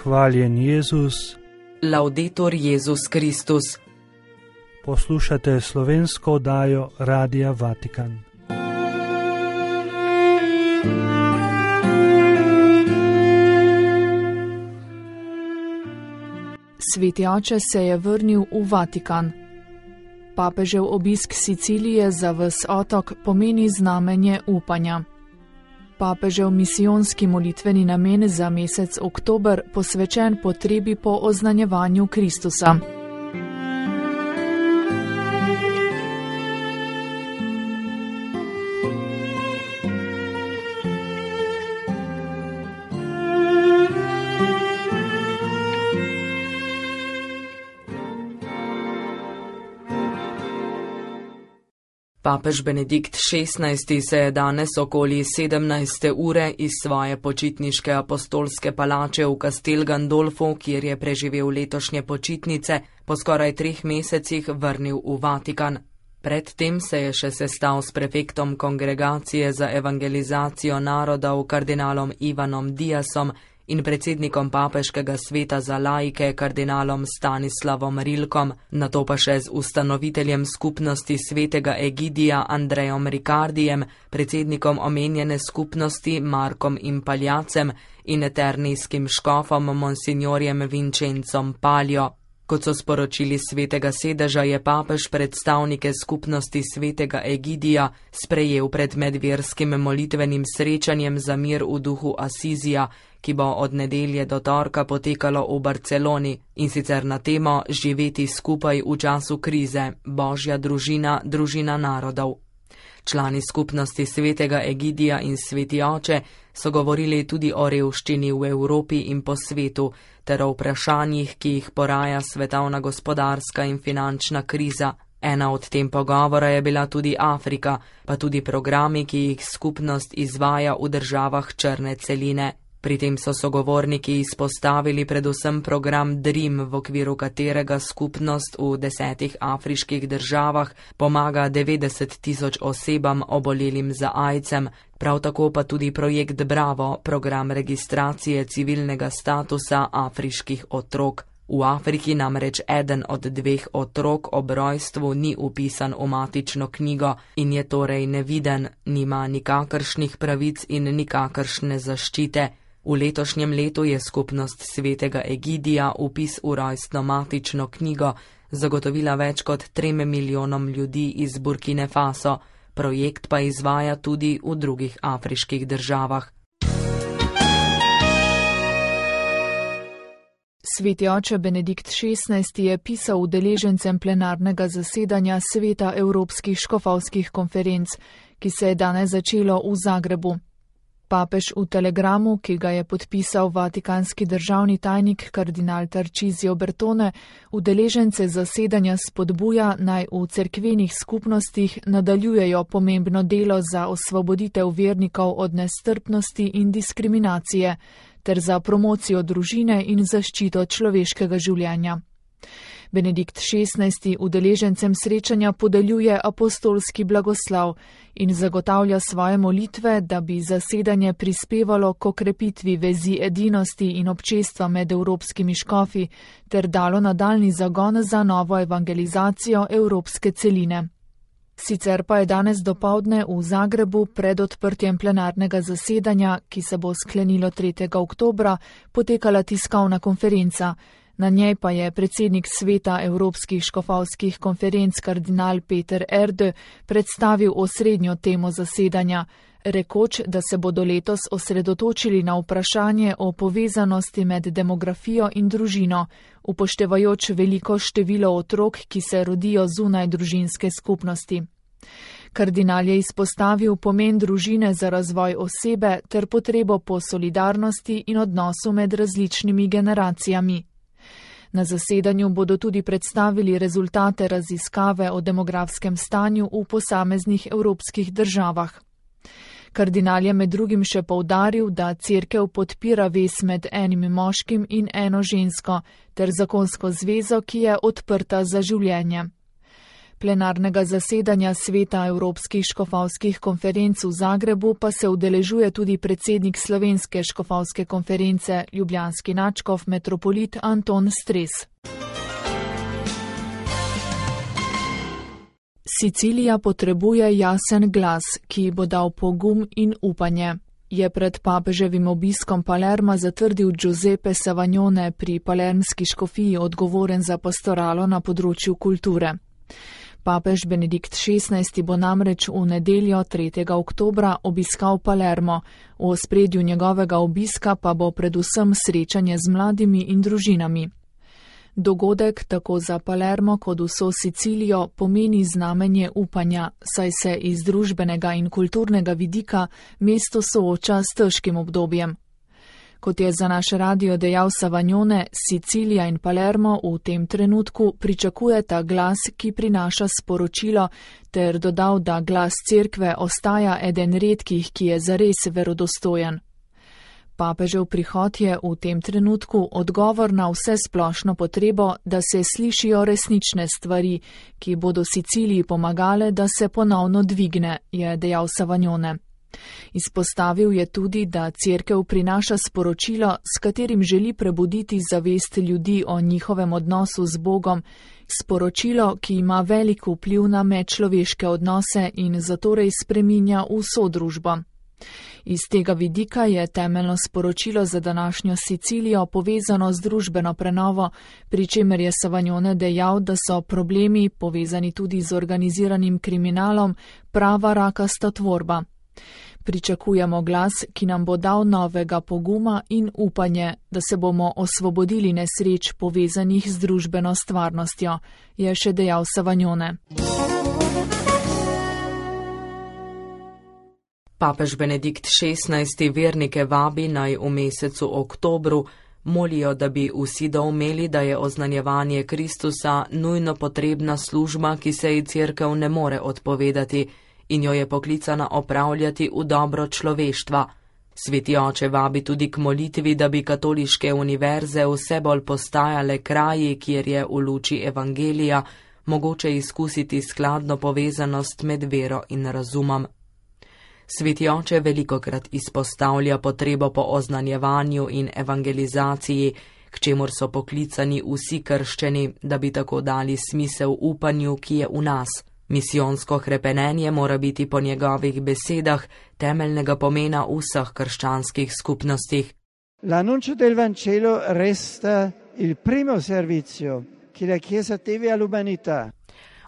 Hvaljen Jezus. Laudetur Jezus Kristus. Poslušate slovensko oddajo Radia Vatikan. Sveti oče se je vrnil v Vatikan. Papežev obisk Sicilije za ves otok pomeni znamenje upanja. Papežev misijonski molitveni namen za mesec oktober posvečen potrebi po oznanjevanju Kristusa. Papež Benedikt XVI se je danes okoli 17. ure iz svoje počitniške apostolske palače v Castel Gandolfo, kjer je preživel letošnje počitnice, po skoraj 3 mesecih vrnil v Vatikan. Predtem se je še sestal s prefektom Kongregacije za evangelizacijo narodov kardinalom Ivanom Diasom in predsednikom Papeškega sveta za laike kardinalom Stanislavom Rilkom, nato pa še z ustanoviteljem skupnosti svetega Egidija Andrejom Ricardijem, predsednikom omenjene skupnosti Markom Impaljacem in eternijskim škofom monsignorjem Vincencom Paljo. Kot so sporočili svetega sedeža, je papež predstavnike skupnosti svetega Egidija sprejel pred medverskim molitvenim srečanjem za mir v duhu Asizija, ki bo od nedelje do torka potekalo v Barceloni, in sicer na temo Živeti skupaj v času krize, Božja družina, družina narodov. Člani skupnosti svetega Egidija in sveti oče so govorili tudi o revščini v Evropi in po svetu, ter o vprašanjih, ki jih poraja svetovna gospodarska in finančna kriza. Ena od tem pogovora je bila tudi Afrika, pa tudi programi, ki jih skupnost izvaja v državah črne celine. Pri tem so sogovorniki izpostavili predvsem program DREAM, v okviru katerega skupnost v 10 afriških državah pomaga 90 000 osebam obolelim za AIDS-em, prav tako pa tudi projekt Bravo, program registracije civilnega statusa afriških otrok. V Afriki namreč eden od 2 otrok ob rojstvu ni vpisan v matično knjigo in je torej neviden, nima nikakršnih pravic in nikakršne zaščite. V letošnjem letu je skupnost svetega Egidija vpis v rojstno matično knjigo zagotovila več kot 3 milijonom ljudi iz Burkine Faso, projekt pa izvaja tudi v drugih afriških državah. Sveti oče Benedikt XVI je pisal udeležencem plenarnega zasedanja Sveta Evropskih škofovskih konferenc, ki se je danes začelo v Zagrebu. Papež v telegramu, ki ga je podpisal vatikanski državni tajnik kardinal Tarcisio Bertone, udeležence zasedanja spodbuja, naj v cerkvenih skupnostih nadaljujejo pomembno delo za osvoboditev vernikov od nestrpnosti in diskriminacije, ter za promocijo družine in zaščito človeškega življenja. Benedikt XVI udeležencem srečanja podeljuje apostolski blagoslav in zagotavlja svoje molitve, da bi zasedanje prispevalo k okrepitvi vezi edinosti in občestva med evropskimi škofi ter dalo nadaljnji zagon za novo evangelizacijo evropske celine. Sicer pa je danes dopoldne v Zagrebu pred odprtjem plenarnega zasedanja, ki se bo sklenilo 3. oktobra, potekala tiskovna konferenca. Na njej pa je predsednik sveta Evropskih škofovskih konferenc kardinal Peter Erde predstavil osrednjo temo zasedanja, rekoč, da se bodo letos osredotočili na vprašanje o povezanosti med demografijo in družino, upoštevajoč veliko število otrok, ki se rodijo zunaj družinske skupnosti. Kardinal je izpostavil pomen družine za razvoj osebe ter potrebo po solidarnosti in odnosu med različnimi generacijami. Na zasedanju bodo tudi predstavili rezultate raziskave o demografskem stanju v posameznih evropskih državah. Kardinal je med drugim še poudaril, da cerkev podpira vez med enim moškim in eno žensko ter zakonsko zvezo, ki je odprta za življenje. Plenarnega zasedanja Sveta Evropskih škofovskih konferenc v Zagrebu pa se udeležuje tudi predsednik Slovenske škofovske konference, ljubljanski nadškof metropolit Anton Stres. Sicilija potrebuje jasen glas, ki bo dal pogum in upanje, je pred papeževim obiskom Palerma zatrdil Giuseppe Savagnone, pri palermski škofiji odgovoren za pastoralo na področju kulture. Papež Benedikt XVI bo namreč v nedeljo 3. oktobra obiskal Palermo, v ospredju njegovega obiska pa bo predvsem srečanje z mladimi in družinami. Dogodek tako za Palermo kot vso Sicilijo pomeni znamenje upanja, saj se iz družbenega in kulturnega vidika mesto sooča s težkim obdobjem. Kot je za naš radio dejal Savagnone, Sicilija in Palermo v tem trenutku pričakujeta glas, ki prinaša sporočilo, ter dodal, da glas cerkve ostaja eden redkih, ki je zares verodostojen. Papežev prihod je v tem trenutku odgovor na vse splošno potrebo, da se slišijo resnične stvari, ki bodo Siciliji pomagale, da se ponovno dvigne, je dejal Savagnone. Izpostavil je tudi, da cerkev prinaša sporočilo, s katerim želi prebuditi zavest ljudi o njihovem odnosu z Bogom, sporočilo, ki ima velik vpliv na medčloveške odnose in zatorej spreminja vso družbo. Iz tega vidika je temeljno sporočilo za današnjo Sicilijo povezano z družbeno prenovo, pri čemer je Savagnone dejal, da so problemi, povezani tudi z organiziranim kriminalom, prava rakasta tvorba. Pričakujemo glas, ki nam bo dal novega poguma in upanje, da se bomo osvobodili nesreč povezanih z družbeno stvarnostjo, je še dejal Savagnone. Papež Benedikt XVI vernike vabi, naj v mesecu oktobru molijo, da bi vsi doumeli, da je oznanjevanje Kristusa nujno potrebna služba, ki se ji cerkev ne more odpovedati in jo je poklicana opravljati v dobro človeštva. Sveti oče vabi tudi k molitvi, da bi katoliške univerze vse bolj postajale kraji, kjer je v luči evangelija mogoče izkusiti skladno povezanost med vero in razumom. Sveti oče velikokrat izpostavlja potrebo po oznanjevanju in evangelizaciji, k čemur so poklicani vsi krščeni, da bi tako dali smisel upanju, ki je v nas. Misijonsko hrepenenje mora biti po njegovih besedah temeljnega pomena v vseh krščanskih skupnostih. L'annuncio del Vangelo resta il primo servizio che la Chiesa deve all'umanità.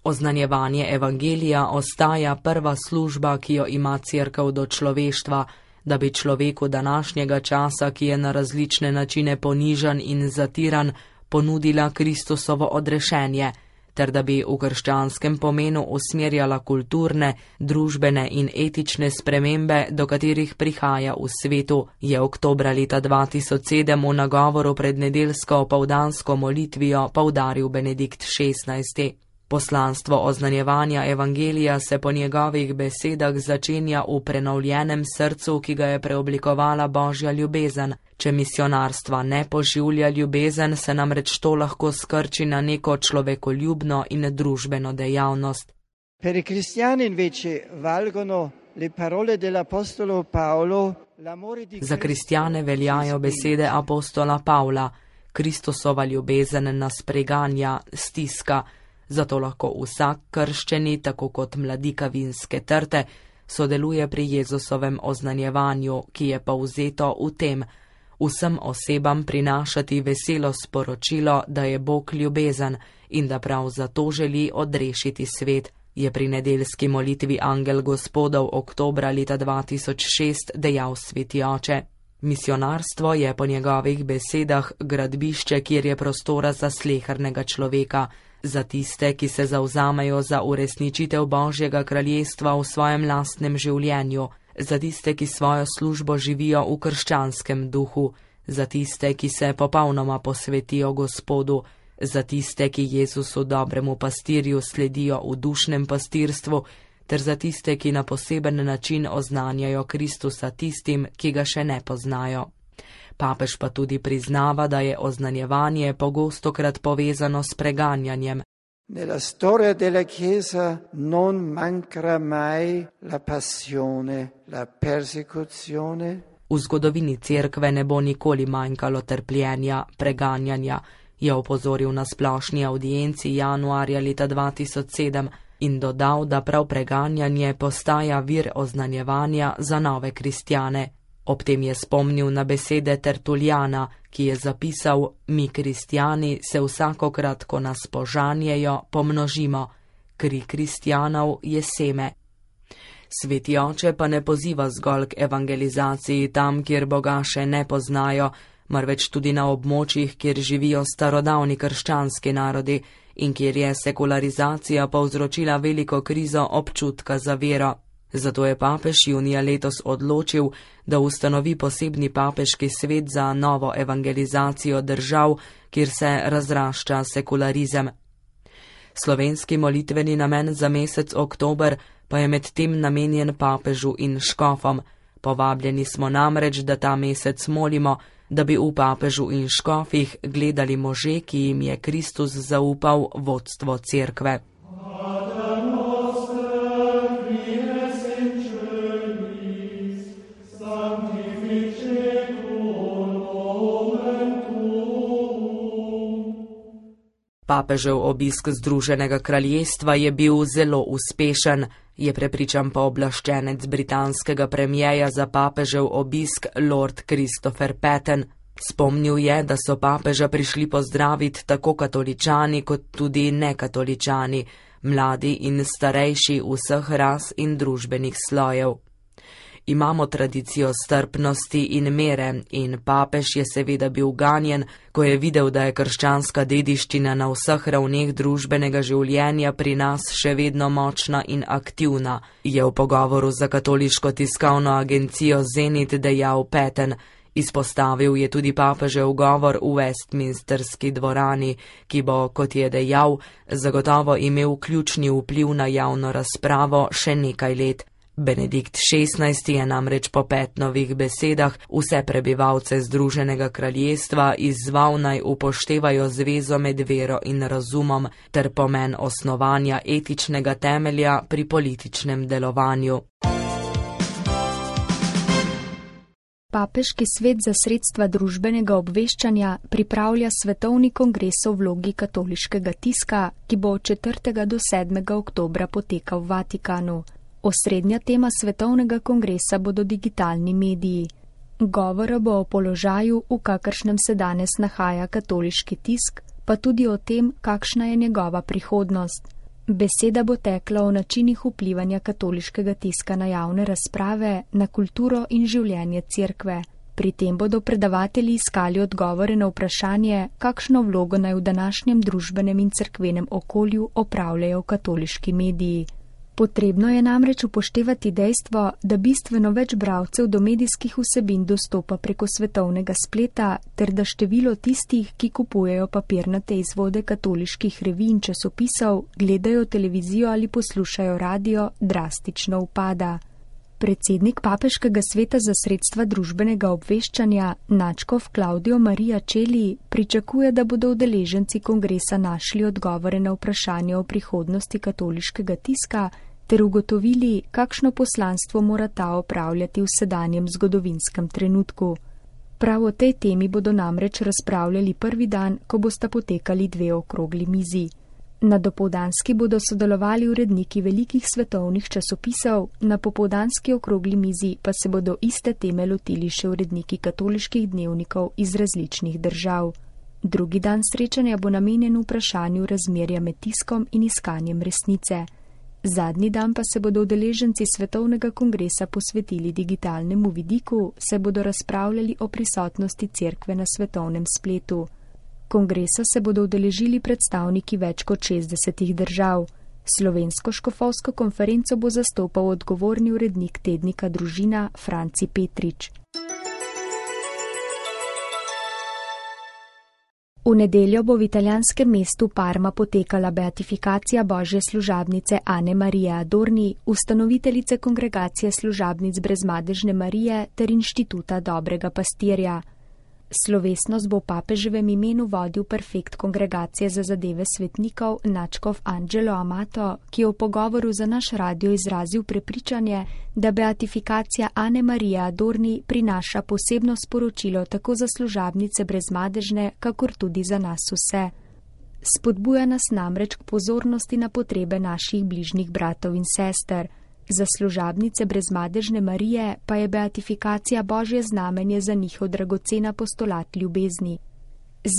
Oznanjevanje evangelija ostaja prva služba, ki jo ima cerkev do človeštva, da bi človeku današnjega časa, ki je na različne načine ponižan in zatiran, ponudila Kristusovo odrešenje, ter da bi v krščanskem pomenu usmerjala kulturne, družbene in etične spremembe, do katerih prihaja v svetu, je oktobra leta 2007 v nagovoru pred nedeljsko opoldansko molitvijo poudaril Benedikt XVI. Poslanstvo oznanjevanja evangelija se po njegovih besedah začenja v prenovljenem srcu, ki ga je preoblikovala Božja ljubezen. Če misionarstva ne poživlja ljubezen, se namreč to lahko skrči na neko človekoljubno in družbeno dejavnost. Per i cristiani invece valgono le parole dell'apostolo Paolo. Za kristjane veljajo besede apostola Pavla. Kristusova ljubezen nas preganja, stiska. Zato lahko vsak krščeni, tako kot mladika vinske trte, sodeluje pri Jezusovem oznanjevanju, ki je povzeto v tem: vsem osebam prinašati veselo sporočilo, da je Bog ljubezen in da prav zato želi odrešiti svet, je pri nedeljski molitvi Angel Gospodov oktobra leta 2006 dejal sveti oče. Misionarstvo je po njegovih besedah gradbišče, kjer je prostora za slehernega človeka, za tiste, ki se zavzamejo za uresničitev Božjega kraljestva v svojem lastnem življenju, za tiste, ki svojo službo živijo v krščanskem duhu, za tiste, ki se popolnoma posvetijo Gospodu, za tiste, ki Jezusu dobremu pastirju sledijo v dušnem pastirstvu, ter za tiste, ki na poseben način oznanjajo Kristusa tistim, ki ga še ne poznajo. Papež pa tudi priznava, da je oznanjevanje pogostokrat povezano s preganjanjem. Nella storia della Chiesa non mancherà mai la passione, la persecuzione. V zgodovini cerkve ne bo nikoli manjkalo trpljenja, preganjanja, je opozoril na splošni audienci januarja leta 2007 in dodal, da prav preganjanje postaja vir oznanjevanja za nove kristjane. Ob tem je spomnil na besede Tertuljana, ki je zapisal: mi kristjani se vsakokrat, ko nas požanjejo, pomnožimo. Kri kristjanov je seme. Sveti oče pa ne poziva zgolj k evangelizaciji tam, kjer Boga še ne poznajo, marveč tudi na območjih, kjer živijo starodavni krščanski narodi in kjer je sekularizacija povzročila veliko krizo občutka za vero. Zato je papež junija letos odločil, da ustanovi posebni papeški svet za novo evangelizacijo držav, kjer se razrašča sekularizem. Slovenski molitveni namen za mesec oktober pa je med tem namenjen papežu in škofom. Povabljeni smo namreč, da ta mesec molimo, da bi v papežu in škofih gledali može, ki jim je Kristus zaupal vodstvo cerkve. Papežev obisk Združenega kraljestva je bil zelo uspešen, je prepričan pooblaščenec britanskega premierja za papežev obisk Lord Christopher Patten. Spomnil je, da so papeža prišli pozdraviti tako katoličani kot tudi nekatoličani, mladi in starejši vseh ras in družbenih slojev. Imamo tradicijo strpnosti in mere in papež je seveda bil ganjen, ko je videl, da je krščanska dediščina na vseh ravneh družbenega življenja pri nas še vedno močna in aktivna, je v pogovoru za katoliško tiskovno agencijo Zenit dejal Patten. Izpostavil je tudi papežev govor v Westminsterski dvorani, ki bo, kot je dejal, zagotovo imel ključni vpliv na javno razpravo še nekaj let. Benedikt XVI je namreč po Pattenovih besedah vse prebivalce Združenega kraljestva izzval naj upoštevajo zvezo med vero in razumom ter pomen osnovanja etičnega temelja pri političnem delovanju. Papeški svet za sredstva družbenega obveščanja pripravlja svetovni kongres o vlogi katoliškega tiska, ki bo od 4. do 7. oktobra potekal v Vatikanu. Osrednja tema svetovnega kongresa bodo digitalni mediji. Govora bo o položaju, v kakršnem se danes nahaja katoliški tisk, pa tudi o tem, kakšna je njegova prihodnost. Beseda bo tekla o načinih vplivanja katoliškega tiska na javne razprave, na kulturo in življenje cerkve. Pri tem bodo predavatelji iskali odgovore na vprašanje, kakšno vlogo naj v današnjem družbenem in cerkvenem okolju opravljajo katoliški mediji. Potrebno je namreč upoštevati dejstvo, da bistveno več bralcev do medijskih vsebin dostopa preko svetovnega spleta, ter da število tistih, ki kupujejo papirnate izvode katoliških revij in časopisov, gledajo televizijo ali poslušajo radio, drastično upada. Predsednik Papeškega sveta za sredstva družbenega obveščanja, nadškof Claudio Maria Celli, pričakuje, da bodo udeleženci kongresa našli odgovore na vprašanje o prihodnosti katoliškega tiska ter ugotovili, kakšno poslanstvo mora ta opravljati v sedanjem zgodovinskem trenutku. Prav o tej temi bodo namreč razpravljali prvi dan, ko bosta potekali 2 okrogli mizi. Na dopoldanski bodo sodelovali uredniki velikih svetovnih časopisov, na popoldanski okrogli mizi pa se bodo iste teme lotili še uredniki katoliških dnevnikov iz različnih držav. Drugi dan srečanja bo namenjen vprašanju razmerja med tiskom in iskanjem resnice. Zadnji dan pa se bodo udeleženci svetovnega kongresa posvetili digitalnemu vidiku, saj bodo razpravljali o prisotnosti cerkve na svetovnem spletu. Kongresa se bodo udeležili predstavniki več kot 60 držav. Slovensko škofovsko konferenco bo zastopal odgovorni urednik tednika Družina Franci Petrič. V nedeljo bo v italijanskem mestu Parma potekala beatifikacija božje služabnice Ane Marije Adorni, ustanoviteljice kongregacije služabnic Brezmadežne Marije ter inštituta Dobrega pastirja. Slovesnost bo v papeževem imenu vodil prefekt Kongregacije za zadeve svetnikov nadškof Angelo Amato, ki je v pogovoru za naš radio izrazil prepričanje, da beatifikacija Ane Marije Adorni prinaša posebno sporočilo tako za služabnice brezmadežne, kakor tudi za nas vse. Spodbuja nas namreč k pozornosti na potrebe naših bližnjih bratov in sester. Za služabnice brezmadežne Marije pa je beatifikacija božje znamenje za njihov dragocen apostolat ljubezni.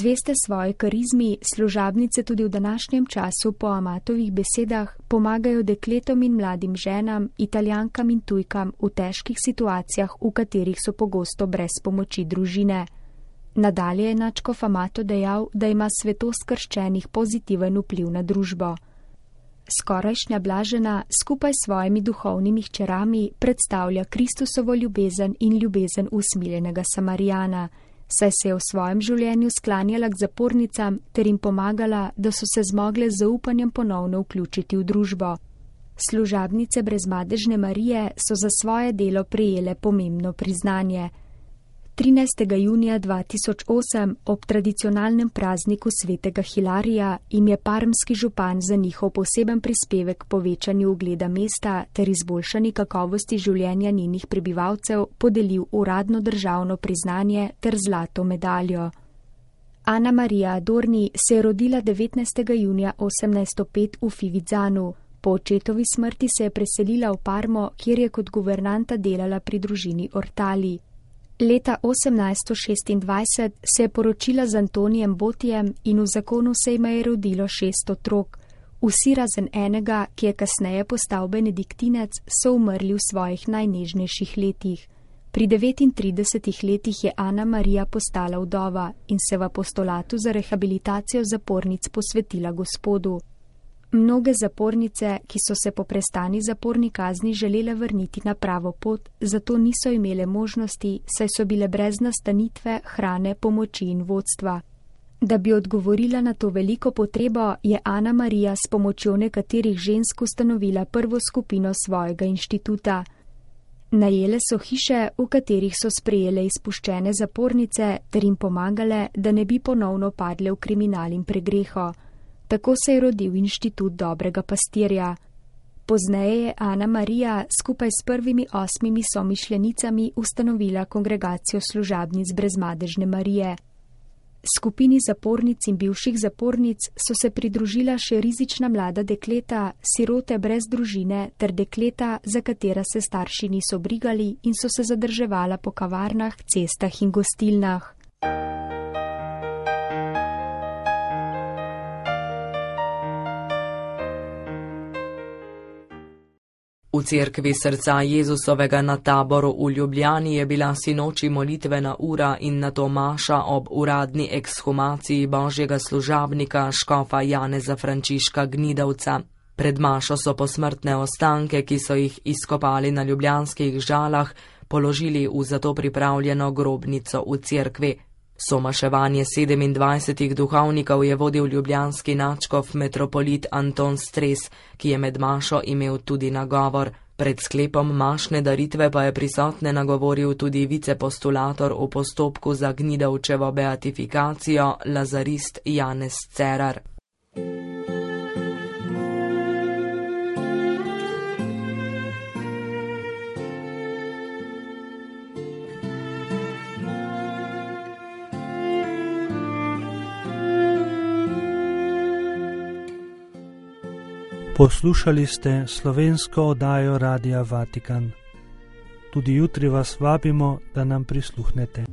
Zveste svoje karizmi, služabnice tudi v današnjem času po Amatovih besedah pomagajo dekletom in mladim ženam, Italijankam in tujkam v težkih situacijah, v katerih so pogosto brez pomoči družine. Nadalje je nadškof Amato dejal, da ima svetost krščenih pozitiven vpliv na družbo. Skorajšnja blažena skupaj s svojimi duhovnimi hčerami predstavlja Kristusovo ljubezen in ljubezen usmiljenega Samarijana, saj se je v svojem življenju sklanjala k zapornicam ter jim pomagala, da so se zmogle z zaupanjem ponovno vključiti v družbo. Služabnice brezmadežne Marije so za svoje delo prejele pomembno priznanje. 13. junija 2008 ob tradicionalnem prazniku svetega Hilarija jim je parmski župan za njihov poseben prispevek k povečanju ugleda mesta ter izboljšani kakovosti življenja njenih prebivalcev podelil uradno državno priznanje ter zlato medaljo. Ana Marija Adorni se je rodila 19. junija 1805 v Fivizzanu. Po očetovi smrti se je preselila v Parmo, kjer je kot guvernanta delala pri družini Ortali. Leta 1826 se je poročila z Antonijem Botijem in v zakonu se jima je rodilo 6 otrok. Vsi razen enega, ki je kasneje postal benediktinec, so umrli v svojih najnežnejših letih. Pri 39 letih je Ana Marija postala vdova in se v apostolatu za rehabilitacijo zapornic posvetila Gospodu. Mnoge zapornice, ki so se po prestani zaporni kazni želele vrniti na pravo pot, zato niso imele možnosti, saj so bile brez nastanitve, hrane, pomoči in vodstva. Da bi odgovorila na to veliko potrebo, je Ana Marija s pomočjo nekaterih žensk ustanovila prvo skupino svojega inštituta. Najele so hiše, v katerih so sprejele izpuščene zapornice ter jim pomagale, da ne bi ponovno padle v kriminal in pregreho. Tako se je rodil inštitut dobrega pastirja. Pozneje je Ana Marija skupaj s prvimi 8 somišljenicami ustanovila kongregacijo služabnic brezmadežne Marije. Skupini zapornic in bivših zapornic so se pridružila še rizična mlada dekleta, sirote brez družine ter dekleta, za katera se starši niso brigali in so se zadrževala po kavarnah, cestah in gostilnah. V cerkvi srca Jezusovega na Taboru v Ljubljani je bila sinoči molitvena ura in nato maša ob uradni ekshumaciji božjega služabnika škofa Janeza Frančiška Gnidavca. Pred mašo so posmrtne ostanke, ki so jih izkopali na ljubljanskih Žalah, položili v zato pripravljeno grobnico v cerkvi. Somaševanje 27 duhovnikov je vodil ljubljanski nadškof metropolit Anton Stres, ki je med mašo imel tudi nagovor. Pred sklepom mašne daritve pa je prisotne nagovoril tudi vicepostulator v postopku za Gnidavčevo beatifikacijo lazarist Janez Cerar. Poslušali ste slovensko oddajo Radia Vatikan. Tudi jutri vas vabimo, da nam prisluhnete.